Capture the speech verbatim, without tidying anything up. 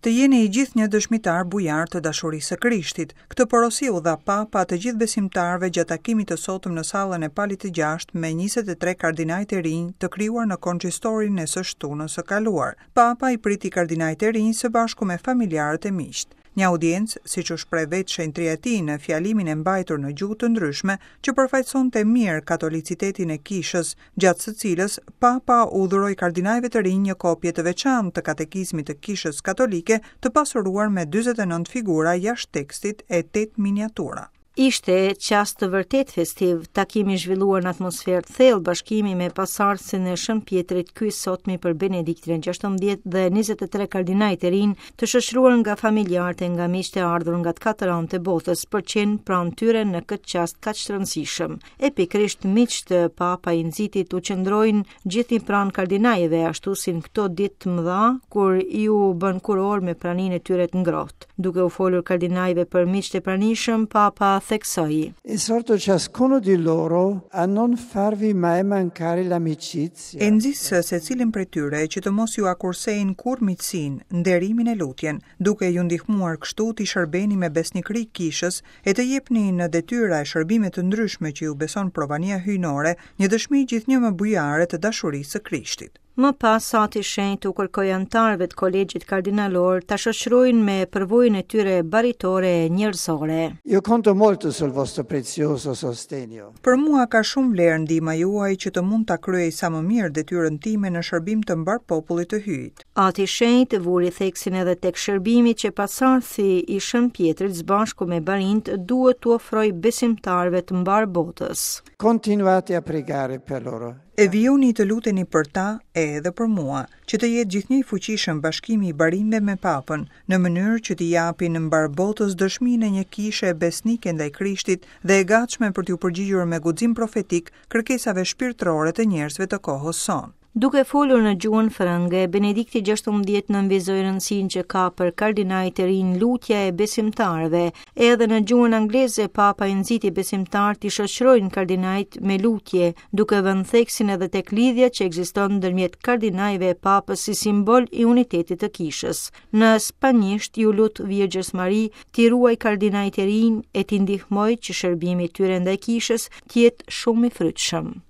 Të jeni i gjithë një dëshmitar bujar të dashurisë së Krishtit. Këtë porosi u dha Papa të gjithë besimtarëve gjatë takimit të sotëm në sallën e Palit të Gjashtë me njëzet e tre kardinajt e rinj të krijuar në konsistorin e së shtunës së kaluar. Papa i priti kardinajt e rinj së bashku me familjarët e miqtë. Një audiencë, siç u shpreh vetë shenjtëria e tij në fjalimin e mbajtur në gjuhë të ndryshme, që përfaqësonte mirë katolicitetin e kishës, gjatë së cilës Papa u dhuroi kardinajve të rinj një kopje të veçantë të katekizmit të kishës katolike, të pasuruar me dyzet e nëntë figura jashtë tekstit e tetë miniatura. Ishte çast të vërtet festiv, takimi zhvilluar në atmosferë të thellë bashkimi me pasardhësin e Shën Pjetrit, ky sotmi për Benediktin e gjashtëmbëdhjetë dhe njëzet e tre kardinajt e rinj, të shoqëruar nga familjarët e nga miqtë e ardhur nga të katër anët e botës, për qenë pranë tyre në këtë çast kaq të rëndësishëm. E pikërisht miqtë Papa i nxiti t'u qëndrojnë gjithnjë pranë kardinajve, ashtu si në këto ditë të mëdha, kur iu bën kuror me praninë e tyre të ngrohtë. Duke u folur kardinajve për miqtë e pranishëm, Papa theksoi: Esorto ciascuno di loro a non farvi mai mancare l'amicizia. E nxis secilin prej tyre që të mos ju akursejnë kurrë miqësinë, nderimin e lutjen, duke ju ndihmuar kështu t'i shërbeni me besnikëri kishës e të jepni në detyra e shërbime të ndryshme që ju beson provania hyjnore, një dëshmi gjithnjë më bujare të dashurisë së Krishtit. Më pas, Ati Shenjt u kërkoi anëtarëve të kolegjit kardinalor ta shoqërojnë me përvojën e tyre baritore e njerëzore. Io conto molto sul vostro prezioso sostegno. Për mua ka shumë vlerë ndihma juaj që të mund ta kryej sa më mirë detyrën time në shërbim të mbar popullit të Hyjit. Ati Shenjt vuri theksin edhe tek shërbimi që pasardhësi i Shën Pjetrit së bashku me barint duhet t'u ofrojë besimtarëve të mbar botës. Continuate a pregare per loro. E vijoni të luteni për ta e edhe për mua, që të jetë gjithnjë i fuqishëm bashkimi i barinjve me Papën, në mënyrë që t'i japin në mbar botës dëshminë e një kishe besnike ndaj Krishtit dhe e gatshme për t'iu përgjigjur me guxim profetik kërkesave shpirtërore të njerëzve të kohës sonë. Duke folur në gjuhën frënge, Benedikti gjashtëmbëdhjetë nënvizoi rëndësinë që ka për kardinajt e rinj lutja e besimtarëve. Edhe në gjuhën angleze, Papa i nxiti besimtarët t'i shoqërojnë kardinajt me lutje, duke vënë theksin edhe tek lidhja që ekziston ndërmjet kardinajve e Papës si simbol i unitetit të kishës. Në spanjisht iu lut Virgjës Mari t'i ruaj kardinajt e rinj e t'i ndihmoj që shërbimi i tyre ndaj kishës të jetë shumë i frytshëm.